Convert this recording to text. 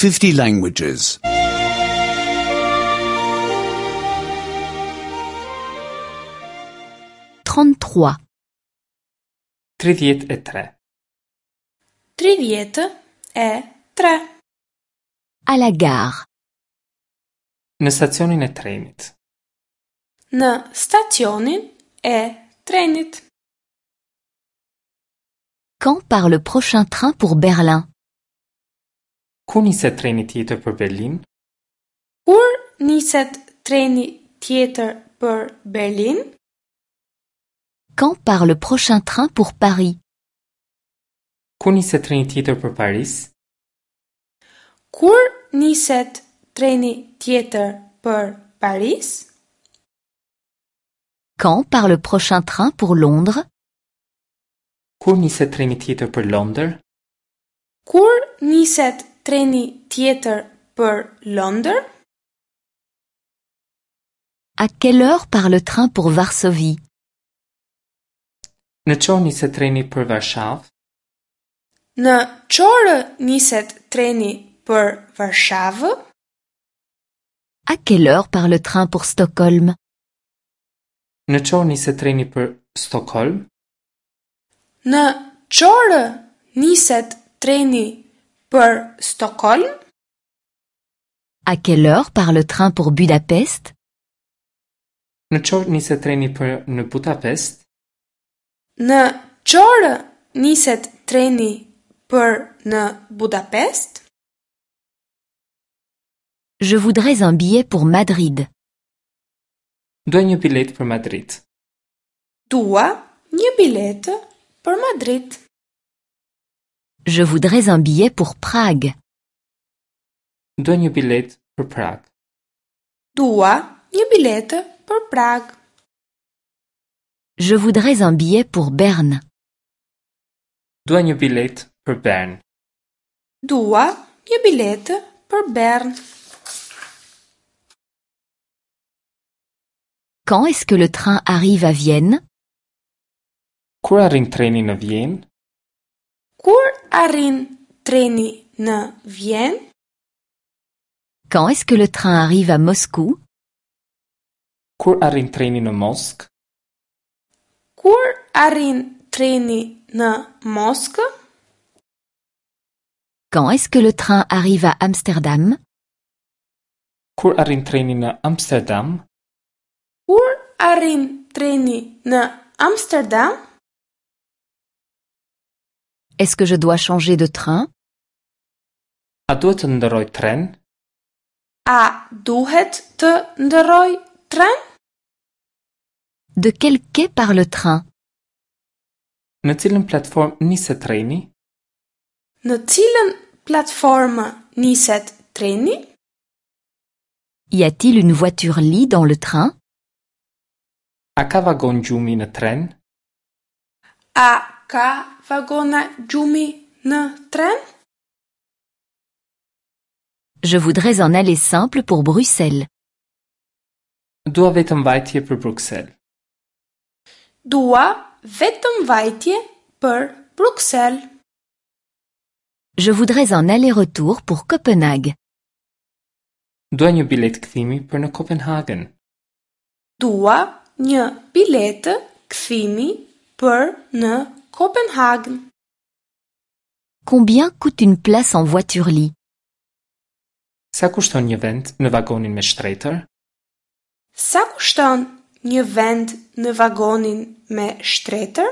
50 languages. 33. 33. 33. À la gare. Në stacionin e trenit. Në stacionin e trenit. Quand part le prochain train pour Berlin? Kur niset treni tjetër për Berlin? Kur niset treni tjetër për Berlin? Quand part le prochain train pour Paris? Kur niset treni tjetër për Paris? Kur niset treni tjetër për Paris? Quand part le prochain train pour Londres? Kur niset treni tjetër për Londër? Kur niset treni tjetër për Londër? À quelle heure part le train pour Varsovie? Në ç'orë niset treni për Varshavë? Në ç'orë niset treni për Varshavë? À quelle heure part le train pour Stockholm? Në ç'orë niset treni për Stockholm? Në ç'orë niset treni për Stockholm? À quelle heure part le train pour Budapest? Në ç'orë niset treni për në Budapest? Në ç'orë niset treni për në Budapest? Je voudrais un billet pour Madrid. Dua një biletë për Madrid. Dua një biletë për Madrid. Je voudrais un billet pour Prague. Dua një biletë për Prag. Dua një biletë për Prag. Je voudrais un billet pour Berne. Dua një biletë për Bern. Dua një biletë për Bern. Quand est-ce que le train arrive à Vienne? Kur arrin treni në Vjenë? Kur arrin treni në Vjenë? Quand est-ce que le train arrive à Moscou? Kur arrin treni në Moskë? Kur arrin treni në Moskë? Quand est-ce que le train arrive à Amsterdam? Kur arrin treni në Amsterdam? Kur arrin treni në Amsterdam? Est-ce que je dois changer de train? A duhet të ndërroj tren? A duhet të ndërroj tren? De quel quai part le train? Në cilën platformë niset treni? Në cilën platformë niset treni? Y a-t-il une voiture lit dans le train? A ka vagon gjumi në tren? A ka vagona gjumi në tren? Je voudrais un aller simple pour Bruxelles. Dua vetëm vajtje për Bruksel. Dua vetëm vajtje për Bruksel. Je voudrais un aller-retour pour Copenhague. Dua një biletë kthimi për në Kopenhagen. Dua një biletë kthimi për në Kopenhagen. Combien coûte une place en voiture lit? Sa kushton një vend në vagonin me shtretër? Sa kushton një vend në vagonin me shtretër?